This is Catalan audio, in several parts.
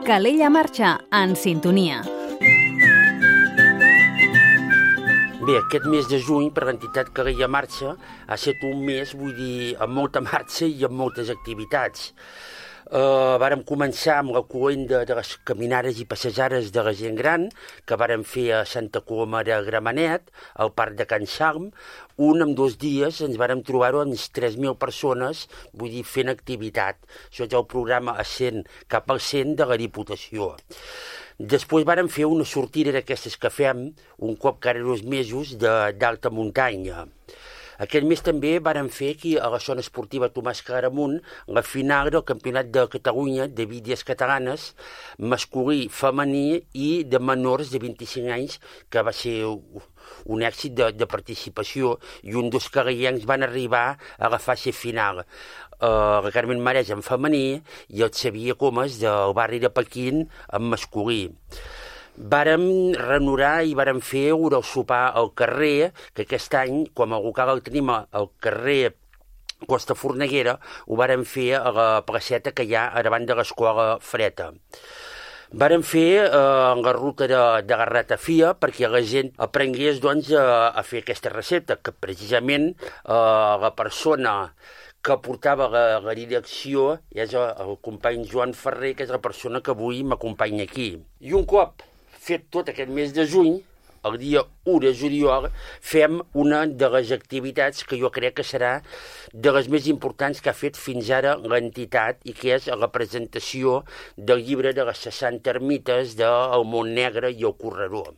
Calella Marxa, en sintonia. Bé, aquest mes de juny per l'entitat Calella Marxa ha estat un mes, vull dir, amb molta marxa i amb moltes activitats. Vàrem començar amb la cloenda de les caminades i passejades de la gent gran, que vàrem fer a Santa Coloma de Gramenet, al Parc de Can Salm. En 2 dies ens vàrem trobar 3.000 persones, vull dir, fent activitat. Això és el programa Ascent cap al 100 de la Diputació. Després vàrem fer una sortida d'aquestes que fem un cop cada 2 mesos d'alta muntanya. Aquest mes també vàrem fer aquí a la zona esportiva Tomàs Claramunt la final del Campionat de Catalunya de bídies catalanes, masculí, femení i de menors de 25 anys, que va ser un èxit de participació, i dos calellencs van arribar a la fase final. La Carmen Marès en femení i el Xavier Comas del barri de Pequín en masculí. Vàrem renovar i vàrem fer el sopar al carrer, que aquest any, com el local el tenim al carrer Costa Forneguera, ho vàrem fer a la placeta que hi ha davant de l'escola Freta. Vàrem fer la ruta de la ratafia perquè la gent aprengués a fer aquesta recepta, que precisament la persona que portava la direcció és el company Joan Ferrer, que és la persona que avui m'acompanya aquí. I un cop fet tot aquest mes de juny, el dia 1 de juliol, fem una de les activitats que jo crec que serà de les més importants que ha fet fins ara l'entitat, i que és la presentació del llibre de les 60 ermites del Montnegre i el Corredor.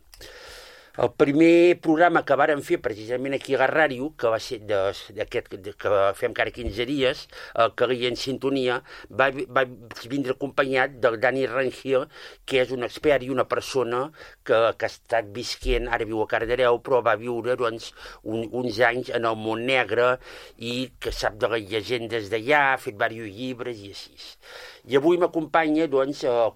El primer programa que vàrem fer precisament aquí a la ràdio, que va ser d'aquest que fem cada 15 dies, el Calella en sintonia, va vindre acompanyat del Dani Rangel, que és un expert i una persona que ha estat visquent, ara viu a Cardedeu, però va viure uns anys en el Montnegre i que sap de les llegendes d'allà, ha fet diversos llibres i així. I avui m'acompanya el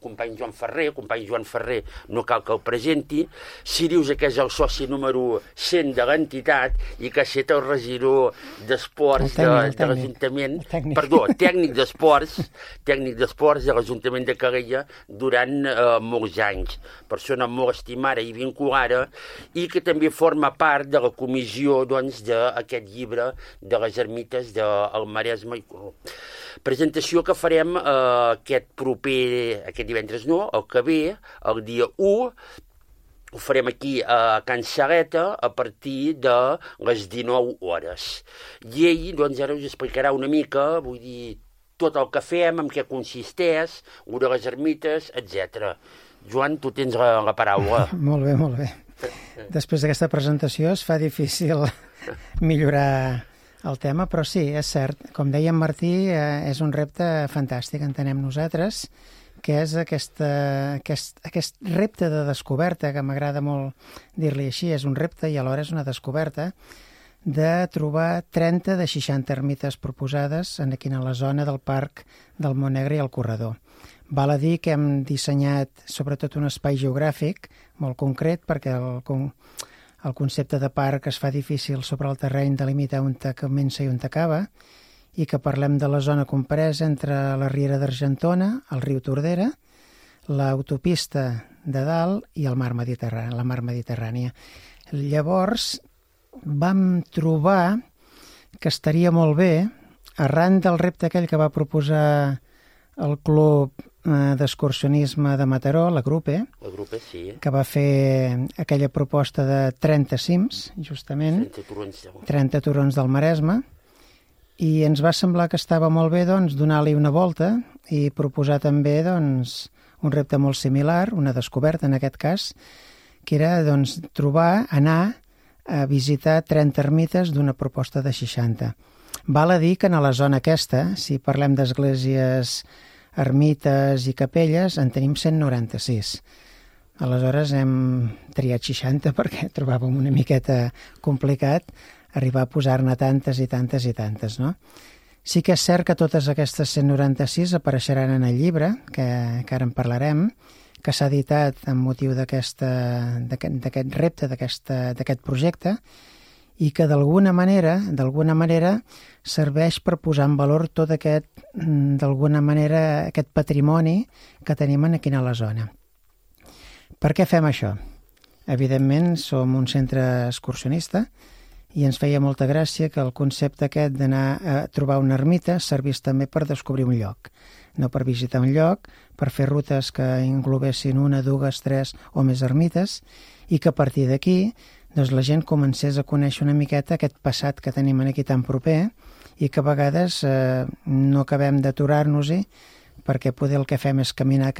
company Joan Ferrer. El company Joan Ferrer no cal que el presenti. Sirius, que és el soci número 100 de l'entitat i que ha estat el regidor d'esports de l'Ajuntament, tècnic d'esports de l'Ajuntament de Calella durant molts anys. Persona molt estimada i vinculada, i que també forma part de la comissió d'aquest llibre de les ermites del Maresme. Presentació que farem aquest divendres el que ve, el dia 1, ho farem aquí a Can Saleta a partir de les 19 hores. I ell ara us explicarà una mica, vull dir, tot el que fem, en què consisteix, de les ermites, etc. Joan, tu tens la paraula. Molt bé, molt bé. Després d'aquesta presentació es fa difícil millorar el tema, però sí, és cert. Com deia en Martí, és un repte fantàstic, entenem nosaltres, que és aquest repte de descoberta, que m'agrada molt dir-li així, és un repte i alhora és una descoberta, de trobar 30 de 60 ermites proposades aquí a la zona del Parc del Montnegre i el Corredor. Val a dir que hem dissenyat sobretot un espai geogràfic molt concret, perquè el concepte de parc es fa difícil sobre el terreny delimitar on comença i on acaba, i que parlem de la zona compresa entre la Riera d'Argentona, el riu Tordera, l'autopista de dalt i el mar Mediterrani, la mar Mediterrània. Llavors vam trobar que estaria molt bé, arran del repte aquell que va proposar el Club d'Excursionisme de Mataró, la Grupe, sí, que va fer aquella proposta de 30 cims, justament, 30 turons del Maresme, i ens va semblar que estava molt bé donar-li una volta i proposar també un repte molt similar, una descoberta en aquest cas, que era anar a visitar 30 ermites d'una proposta de 60. Val a dir que en la zona aquesta, si parlem d'esglésies, ermites i capelles, en tenim 196. Aleshores hem triat 60 perquè trobàvem una miqueta complicat arribar a posar-ne tantes i tantes i tantes, no? Sí que és cert que totes aquestes 196 apareixeran en el llibre, que ara en parlarem, que s'ha editat amb motiu d'aquest repte, d'aquest projecte, i que d'alguna manera serveix per posar en valor tot aquest, d'alguna manera, aquest patrimoni que tenim aquí a la zona. Per què fem això? Evidentment, som un centre excursionista i ens feia molta gràcia que el concepte aquest d'anar a trobar una ermita servís també per descobrir un lloc. No per visitar un lloc, per fer rutes que englobessin 1, 2, 3 o més ermites, i que a partir d'aquí doncs, la gent comencés a conèixer una miqueta aquest passat que tenim aquí tan proper i que a vegades no acabem d'aturar-nos-hi perquè poder el que fem és caminar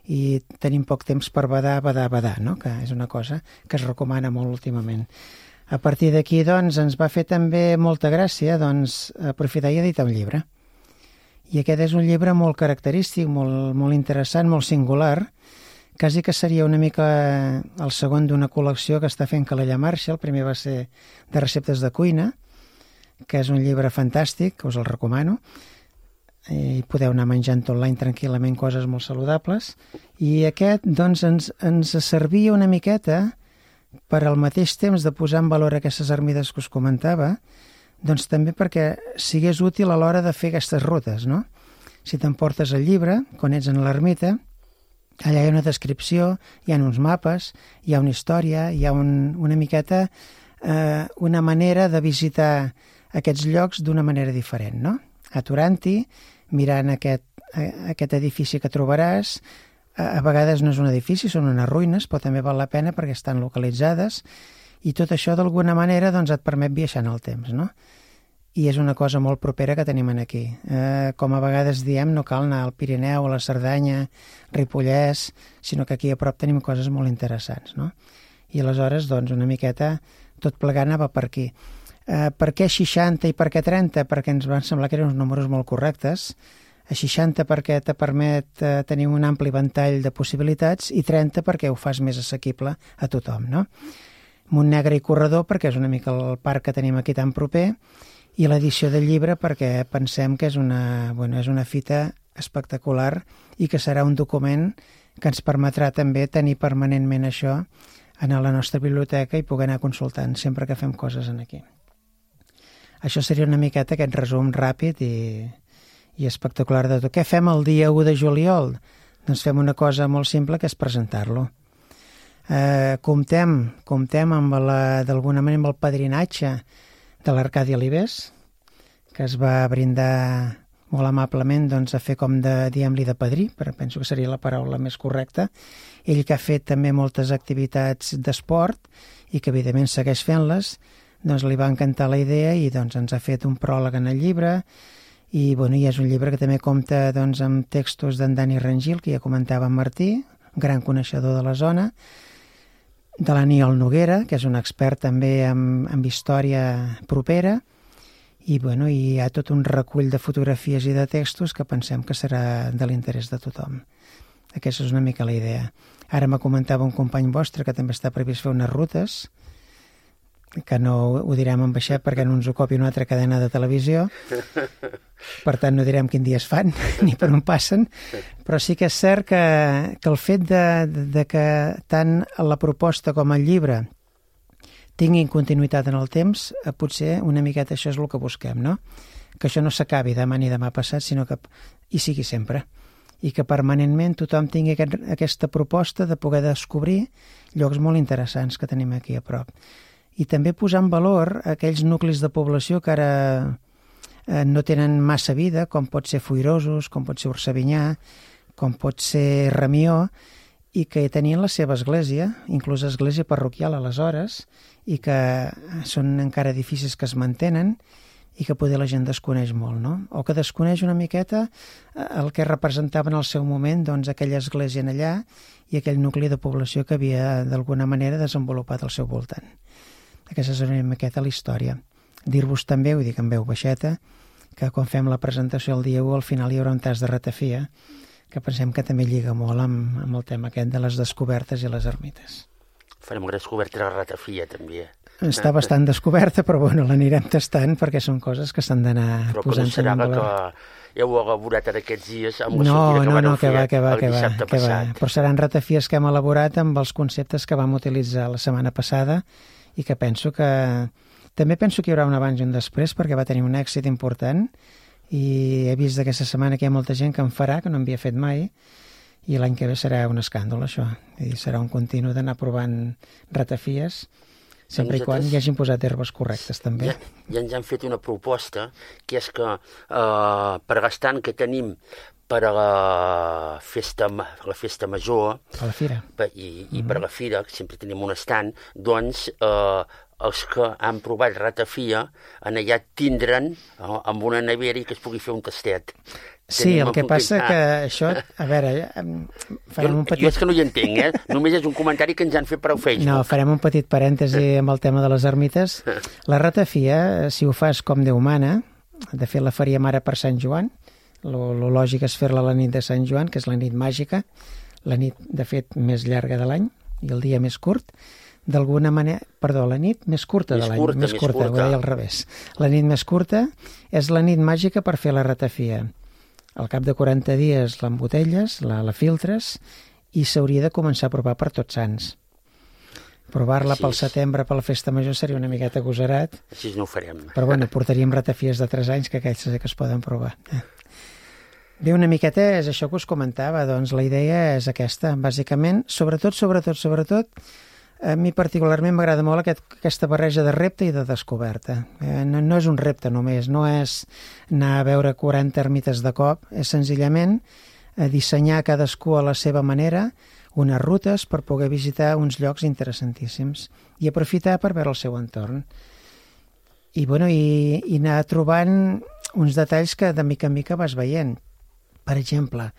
i tenim poc temps per badar, no? Que és una cosa que es recomana molt últimament. A partir d'aquí, doncs, ens va fer també molta gràcia aprofitar i editar un llibre. I aquest és un llibre molt característic, molt interessant, molt singular, quasi que seria una mica el segon d'una col·lecció que està fent Calella Marxa. El primer va ser de receptes de cuina, que és un llibre fantàstic, que us el recomano, i podeu anar menjant online tranquil·lament coses molt saludables. I aquest, doncs, ens servia una miqueta per al mateix temps de posar en valor aquestes ermites que us comentava, doncs també perquè sigués útil a l'hora de fer aquestes rutes, no? Si t'emportes el llibre, quan ets en l'ermita, allà hi ha una descripció, hi ha uns mapes, hi ha una història, hi ha una miqueta una manera de visitar aquests llocs d'una manera diferent, no? Aturant-hi, mirant aquest edifici que trobaràs. A vegades no és un edifici, són unes ruïnes, però també val la pena perquè estan localitzades, i tot això d'alguna manera doncs, et permet viatjar en el temps, no? I és una cosa molt propera que tenim aquí. Com a vegades diem, no cal anar al Pirineu, a la Cerdanya, Ripollès, sinó que aquí a prop tenim coses molt interessants, no? I aleshores, doncs, una miqueta, tot plegat anava per aquí. Per què 60 i per què 30? Perquè ens van semblar que eren uns números molt correctes. A 60 perquè te permet tenir un ampli ventall de possibilitats i 30 perquè ho fas més assequible a tothom, no? Montnegre i Corredor perquè és una mica el parc que tenim aquí tan proper, i l'edició del llibre perquè pensem que és una fita espectacular i que serà un document que ens permetrà també tenir permanentment això en la nostra biblioteca i poder anar consultant sempre que fem coses aquí. Això seria una miqueta aquest resum ràpid i espectacular de tot. Què fem el dia 1 de juliol? Doncs fem una cosa molt simple, que és presentar-lo. Comptem amb d'alguna manera amb el padrinatge de l'Arcadi Alibés, que es va brindar molt amablement doncs, a fer com diguem-li de padrí, però penso que seria la paraula més correcta. Ell que ha fet també moltes activitats d'esport i que evidentment segueix fent-les, doncs li va encantar la idea i doncs ens ha fet un pròleg en el llibre i és un llibre que també compta doncs, amb textos d'en Dani Rangil, que ja comentava en Martí, gran coneixedor de la zona, de l'Aniol Noguera, que és un expert també en història propera, i hi ha tot un recull de fotografies i de textos que pensem que serà de l'interès de tothom. Aquesta és una mica la idea. Ara me comentava un company vostre que també està previst fer unes rutes, que no ho direm en baixet perquè no ens ocupi una altra cadena de televisió, per tant no direm quin dia es fan ni per on passen, però sí que és cert que el fet de que tant la proposta com el llibre tinguin continuïtat en el temps, potser una miqueta això és el que busquem, no? Que això no s'acabi demà ni demà passat, sinó que hi sigui sempre, i que permanentment tothom tingui aquesta proposta de poder descobrir llocs molt interessants que tenim aquí a prop. I també posar en valor aquells nuclis de població que ara no tenen massa vida, com pot ser Foirosos, com pot ser Orsavinyà, com pot ser Ramió, i que tenien la seva església, inclús església parroquial aleshores, i que són encara edificis que es mantenen i que poder la gent desconeix molt, no? O que desconeix una miqueta el que representava en el seu moment doncs, aquella església en allà i aquell nucli de població que havia d'alguna manera desenvolupat al seu voltant. Aquesta és una miqueta la història. Dir-vos també, ho dic en veu baixeta, que quan fem la presentació el dia 1 al final hi haurà un tas de ratafia, que pensem que també lliga molt amb el tema aquest de les descobertes i les ermites. Farem una descoberta de la ratafia, també. Està bastant descoberta, però l'anirem tastant perquè són coses que s'han d'anar posant en valor. Però que heu elaborat en aquests dies amb la sortida que vau fer el dissabte passat. Però seran ratafies que hem elaborat amb els conceptes que vam utilitzar la setmana passada i que penso que... També penso que hi haurà un abans i un després, perquè va tenir un èxit important, i he vist aquesta setmana que hi ha molta gent que en farà, que no en havia fet mai, i l'any que ve serà un escàndol, això. I serà un continu d'anar provant ratafies, sempre i quan hi hagin posat herbes correctes, també. Ja ens han fet una proposta, que és que per gastant que tenim per a la festa major a la fira. I per a la fira, que sempre tenim un estand, doncs els que han provat ratafia en allà tindran amb una nevera i que es pugui fer un tastet. Sí, el que passa que això... A veure, farem un petit... Jo és que no hi entenc, Només és un comentari que ens han fet per al Facebook. No, farem un petit parèntesi amb el tema de les ermites. La ratafia, si ho fas com Déu mana, de fet la faríem ara per Sant Joan, lo lògic és fer-la la nit de Sant Joan, que és la nit màgica, la nit, de fet, més llarga de l'any i el dia més curt. D'alguna manera... Perdó, la nit més curta de l'any. Més curta, ho deia al revés. La nit més curta és la nit màgica per fer la ratafia. Al cap de 40 dies l'embotelles, la filtres, i s'hauria de començar a provar per Tots Sants. Provar-la pel setembre, per la festa major, seria una miqueta agosarat. Així no ho farem. Però bueno, portaríem ratafies de 3 anys, que aquells sí que es poden provar. Bé, una miqueta és això que us comentava, doncs la idea és aquesta, bàsicament, sobretot, a mi particularment m'agrada molt aquesta barreja de repte i de descoberta. No és un repte només, no és anar a veure 40 ermites de cop, és senzillament dissenyar cadascú a la seva manera unes rutes per poder visitar uns llocs interessantíssims i aprofitar per veure el seu entorn. I anar trobant uns detalls que de mica en mica vas veient. Per exemple,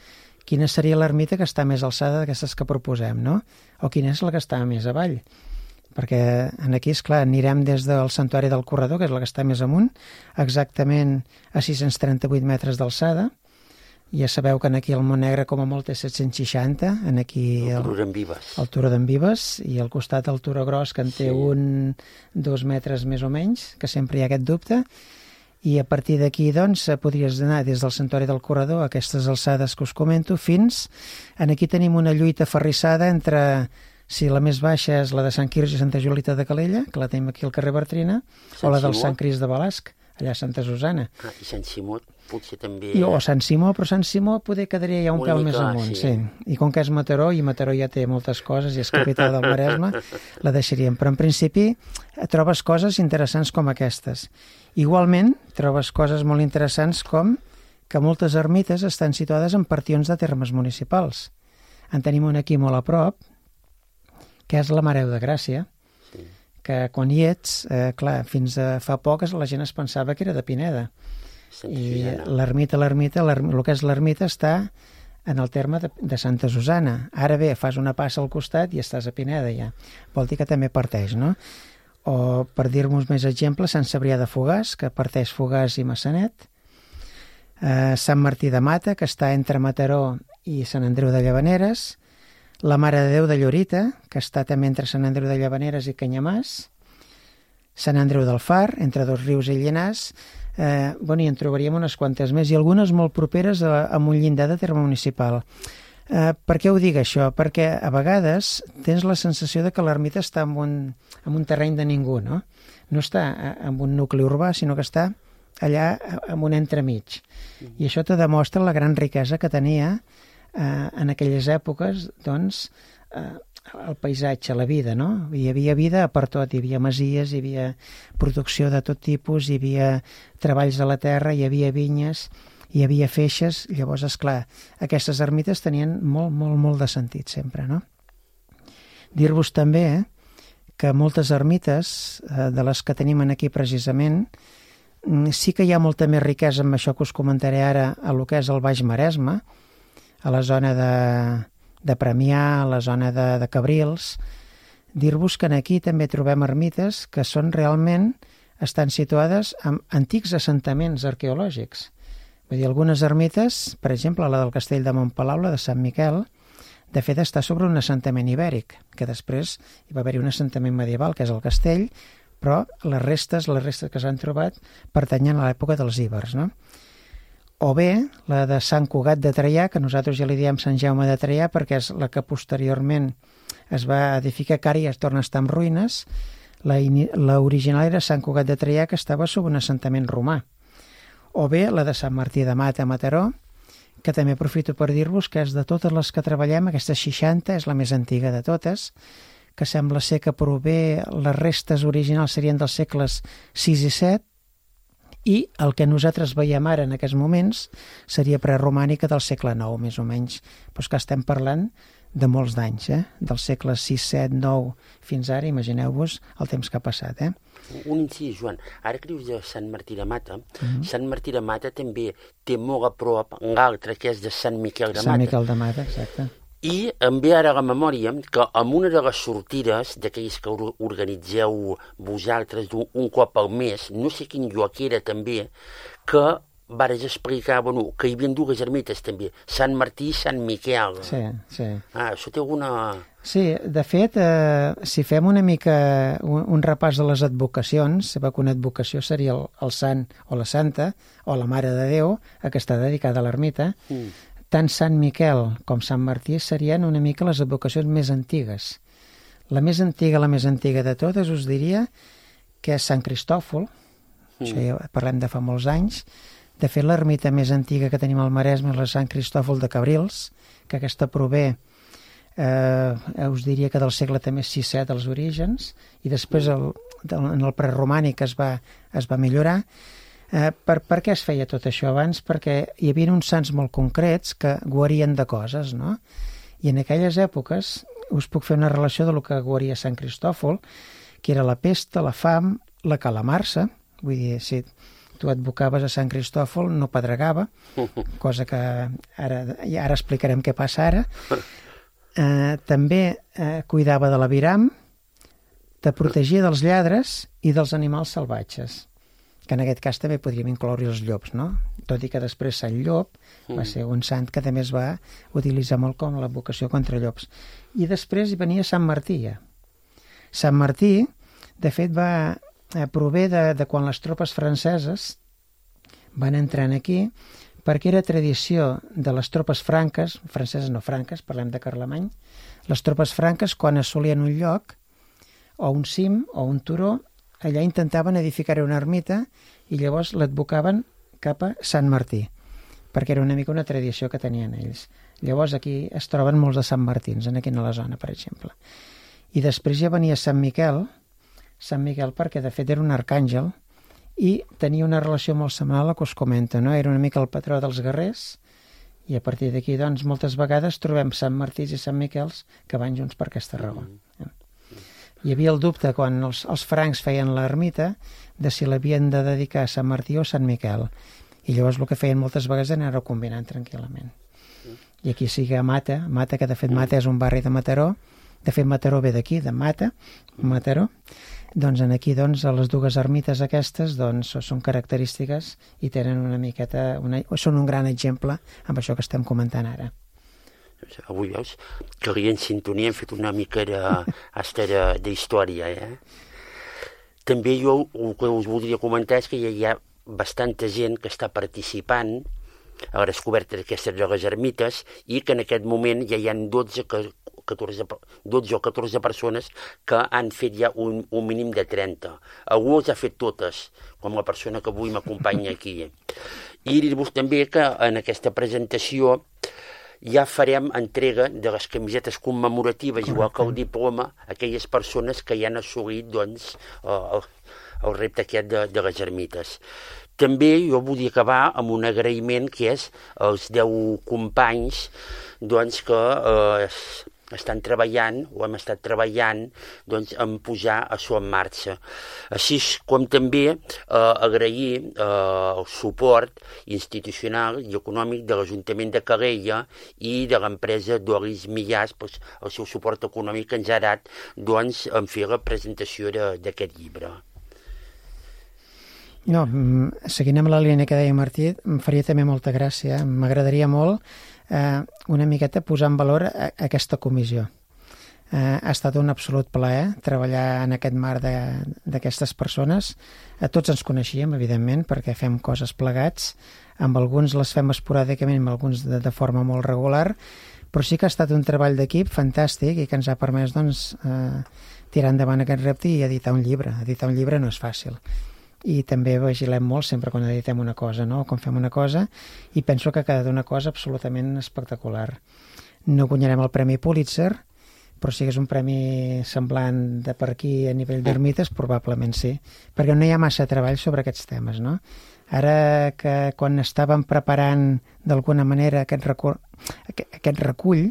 quina seria l'ermita que està més alçada d'aquestes que proposem, no? O quina és la que està més avall? Perquè aquí, esclar, anirem des del Santuari del Corredor, que és la que està més amunt, exactament a 638 metres d'alçada. Ja sabeu que aquí el Montnegre com a molt és 760, aquí el Turó d'en Vives. El Turó d'en Vives, i al costat el Turó Gros, que en té 2 metres més o menys, que sempre hi ha aquest dubte. I a partir d'aquí, doncs, podries anar des del Santuari del Corredor a aquestes alçades que us comento fins... Aquí tenim una lluita ferrissada entre si la més baixa és la de Sant Quirze i Santa Julita de Calella, que la tenim aquí al carrer Bertrina, o la del Sant Crist de Balasc, allà a Santa Susana. I Sant Simó potser també... O Sant Simó, però Sant Simó poder quedaria ja un pèl més amunt, sí. I com que és Mataró, i Mataró ja té moltes coses, i és capital del Maresme, la deixaríem. Però en principi trobes coses interessants com aquestes. Igualment, trobes coses molt interessants com que moltes ermites estan situades en partions de termes municipals. En tenim una aquí molt a prop, que és la Mare de Gràcia, que quan hi ets, clar, fins a fa poc la gent es pensava que era de Pineda. I l'ermita, el que és l'ermita està en el terme de Santa Susana. Ara bé, fas una passa al costat i estàs a Pineda ja. Vol dir que també parteix, no? O, per dir-vos més exemples, Sant Cebrià de Fogars, que parteix Fogars i Massanet, Sant Martí de Mata, que està entre Mataró i Sant Andreu de Llavaneres, la Mare de Déu de Llorita, que està també entre Sant Andreu de Llavaneres i Canyamàs, Sant Andreu del Far, entre Dos Rius i Llinars, i en trobaríem unes quantes més, i algunes molt properes a un llindar de terme municipal. Per què ho dic això? Perquè a vegades tens la sensació de que l'ermita està en un terreny de ningú, no? No està en un nucli urbà, sinó que està allà en un entremig. I això te demostra la gran riquesa que tenia en aquelles èpoques, doncs, el paisatge, la vida, no? Hi havia vida per tot, hi havia masies, hi havia producció de tot tipus, hi havia treballs a la terra, hi havia vinyes, hi havia feixes. Llavors, esclar, aquestes ermites tenien molt de sentit sempre, no? Dir-vos també que moltes ermites de les que tenim aquí precisament, sí que hi ha molta més riquesa amb això que us comentaré ara a lo que és el Baix Maresme, a la zona de Premià, a la zona de Cabrils. Dir-vos que aquí també trobem ermites que són realment, estan situades en antics assentaments arqueològics. Vull dir, algunes ermites, per exemple, la del Castell de Montpalau, la de Sant Miquel, de fet està sobre un assentament ibèric, que després hi va haver-hi un assentament medieval, que és el castell, però les restes que s'han trobat pertanyen a l'època dels íbers, no? O bé, la de Sant Cugat de Traià, que nosaltres ja li diem Sant Jaume de Traià, perquè és la que posteriorment es va edificar, que ara ja es torna a estar en ruïnes, La original era Sant Cugat de Traià, que estava sobre un assentament romà. O bé la de Sant Martí de Mata, a Mataró, que també aprofito per dir-vos que és de totes les que treballem, aquesta 60 és la més antiga de totes, que sembla ser que prové, les restes originals serien dels segles VI i VII, i el que nosaltres veiem ara en aquests moments seria preromànica del segle IX, més o menys. Però que estem parlant de molts d'anys, dels segles VI, VII, IX, fins ara, imagineu-vos el temps que ha passat. Un incís, Joan, ara que dius de Sant Martí de Mata, Sant Martí de Mata també té molt a prop un altre que és de Sant Miquel de Mata. Sant Miquel de Mata, exacte. I em ve ara a la memòria que en una de les sortides d'aquells que organitzeu vosaltres un cop al mes, no sé quin lloc era també, que vares explicar que hi havia dues ermites també, Sant Martí i Sant Miquel. Sí, sí. Això té alguna... Sí, de fet, si fem una mica un repàs de les advocacions, sabeu que una advocació seria el sant o la santa o la Mare de Déu, que està dedicada a l'ermita. Tant Sant Miquel com Sant Martí serien una mica les advocacions més antigues. La més antiga de totes us diria que és Sant Cristòfol, això ja parlem de fa molts anys. De fet, l'ermita més antiga que tenim al Maresme és la Sant Cristòfol de Cabrils, que aquesta prové, us diria que del segle també VI-VII als orígens, i després en el preromànic es va millorar. Per què es feia tot això abans? Perquè hi havia uns sants molt concrets que guarien de coses, no? I en aquelles èpoques us puc fer una relació de lo que guaria Sant Cristòfol, que era la pesta, la fam, la calamarsa. Vull dir, si tu advocaves a Sant Cristòfol no pedregava, cosa que ara explicarem què passa ara. També cuidava de l'aviram, te protegia dels lladres i dels animals salvatges, que en aquest cas també podríem incloure els llops, no? Tot i que després Sant Llop va ser un sant que també es va utilitzar molt com l'advocació contra llops. I després hi venia Sant Martí. Sant Martí, de fet, prové de quan les tropes franceses van entrar aquí, perquè era tradició de les tropes franques, franceses no franques, parlem de Carlemany, les tropes franques, quan assolien un lloc, o un cim, o un turó, allà intentaven edificar una ermita i llavors l'advocaven cap a Sant Martí, perquè era una mica una tradició que tenien ells. Llavors aquí es troben molts de Sant Martins, aquí a la zona, per exemple. I després ja venia Sant Miquel perquè de fet era un arcàngel i tenia una relació molt semblant a la que us comento, no? Era una mica el patró dels guerrers i a partir d'aquí, doncs, moltes vegades trobem Sant Martís i Sant Miquels que van junts per aquesta raó. Hi havia el dubte quan els francs feien l'ermita de si l'havien de dedicar a Sant Martí o a Sant Miquel. I llavors el que feien moltes vegades era anar-ho combinant tranquil·lament. I aquí sí que a Mata, que de fet Mata és un barri de Mataró, de fet Mataró ve d'aquí, de Mata, Mataró, doncs aquí les dues ermites aquestes són característiques i tenen una miqueta, són un gran exemple amb això que estem comentant ara. Avui veus que en sintonia hem fet una mica d'història. També jo el que us voldria comentar és que hi ha bastanta gent que està participant a la descoberta d'aquestes de les ermites i que en aquest moment ja hi ha 12 o 14 persones que han fet ja un mínim de 30. Algú els ha fet totes, com la persona que avui m'acompanya aquí. I dir-vos també que en aquesta presentació ja farem entrega de les camisetes commemoratives, igual que el diploma, a aquelles persones que ja han assolit el repte aquest de les ermites. També jo volia acabar amb un agraïment que és als 10 companys que estan treballant o hem estat treballant en posar això en marxa. Així com també agrair el suport institucional i econòmic de l'Ajuntament de Calella i de l'empresa Doris Millàs, el seu suport econòmic que ens ha dat en fer la presentació d'aquest llibre. No, seguint amb la línia que deia Martí, em faria també molta gràcia, m'agradaria molt una miqueta posar en valor aquesta comissió. Ha estat un absolut plaer treballar en aquest marc d'aquestes persones. Tots ens coneixíem, evidentment, perquè fem coses plegats. Amb alguns les fem esporàdicament, amb alguns de forma molt regular, però sí que ha estat un treball d'equip fantàstic i que ens ha permès tirar endavant aquest repte i editar un llibre. Editar un llibre no és fàcil. I també vigilem molt sempre quan editem una cosa, no? O quan fem una cosa, i penso que ha quedat una cosa absolutament espectacular. No guanyarem el Premi Pulitzer, però si és un premi semblant de per aquí a nivell d'ermites, probablement sí, perquè no hi ha massa treball sobre aquests temes, no? Ara que quan estàvem preparant d'alguna manera aquest recull,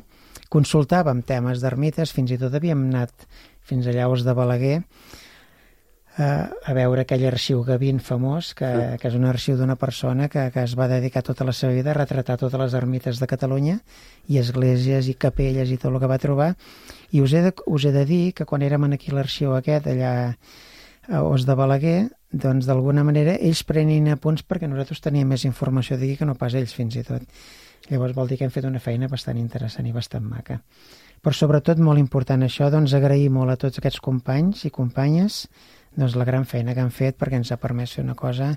consultàvem temes d'ermites, fins i tot havíem anat fins a Llaus de Balaguer a veure aquell arxiu Gavin famós, que és un arxiu d'una persona que es va dedicar tota la seva vida a retratar totes les ermites de Catalunya i esglésies i capelles i tot el que va trobar. I us he de dir que quan érem aquí a l'arxiu aquest, allà a Os de Balaguer, doncs d'alguna manera ells prenien apunts perquè nosaltres teníem més informació d'aquí que no pas ells fins i tot. Llavors vol dir que hem fet una feina bastant interessant i bastant maca. Però sobretot molt important això, doncs agrair molt a tots aquests companys i companyes doncs la gran feina que han fet perquè ens ha permès fer una cosa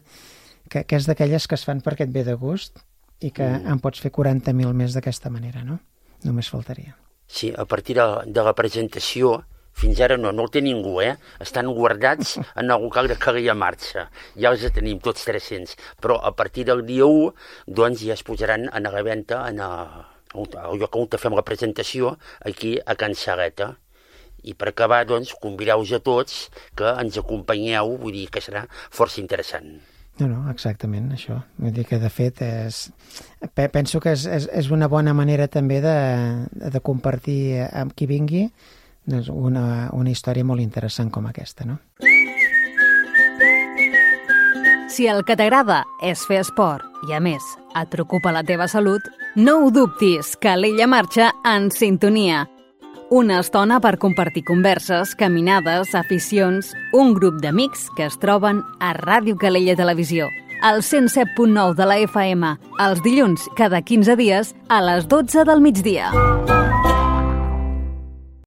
que és d'aquelles que es fan perquè et ve de gust i que en pots fer 40.000 més d'aquesta manera, no? Només faltaria. Sí, a partir de la presentació, fins ara no el té ningú, Estan guardats en el local de Calella Marxa. Ja els tenim tots 300, però a partir del dia 1 doncs ja es posaran a la venda al lloc on fem la presentació, aquí a Can Saleta. I per acabar, doncs, convideu-vos a tots que ens acompanyeu, vull dir que serà força interessant. No, exactament, això. Vull dir que, de fet, penso que és una bona manera també de compartir amb qui vingui doncs, una història molt interessant com aquesta, no? Si el que t'agrada és fer esport i, a més, et preocupa la teva salut, no ho dubtis, Calella marxa en sintonia. Una estona per compartir converses, caminades, aficions, un grup d'amics que es troben a Ràdio Calella Televisió, al 107.9 de la FM, els dilluns cada 15 dies a les 12 del migdia.